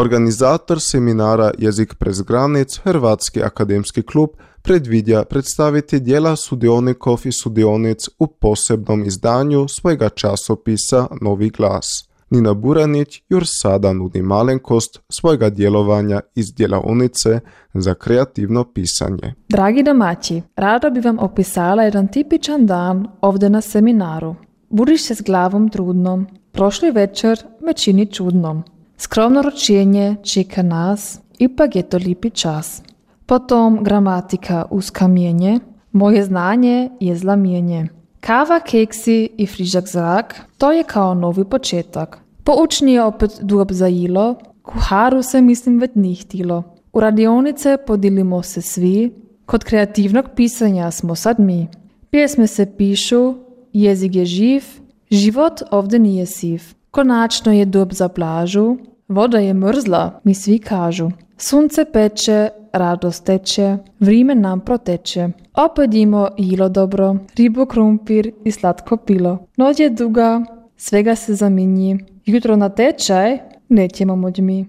Organizator seminara Jezik prez granic, Hrvatski akademski klub, predvidja predstaviti dijela sudionikov i sudionic u posebnom izdanju svojega časopisa Novi glas. Nina Buranić još sada nudi malenkost svojega djelovanja iz djelavnice za kreativno pisanje. Dragi domaći, rado bi vam opisala jedan tipičan dan ovdje na seminaru. Budiš se s glavom trudnom, prošli večer me čini čudnom. Skromno ročenje čeka nas, ipak je to lipi čas. Potom gramatika uz kamienje, moje znanje je zlamienje. Kava, keksi i frižak zrak, to je kao novi početak. Poučni je opet durb zajilo, kuharu se mislim već ni htilo. U radionice podilimo se svi, kod kreativnog pisanja smo sad mi. Pjesme se pišu, jezik je živ, život ovdje nije siv. Konačno je dob za plažu, voda je mrzla, mi svi kažu. Sunce peče, radost teče, vrime nam proteče. Opedimo jilo dobro, ribu, krumpir i slatko pilo. Noć je duga, svega se zaminji. Jutro na tečaj nećemo moć mi.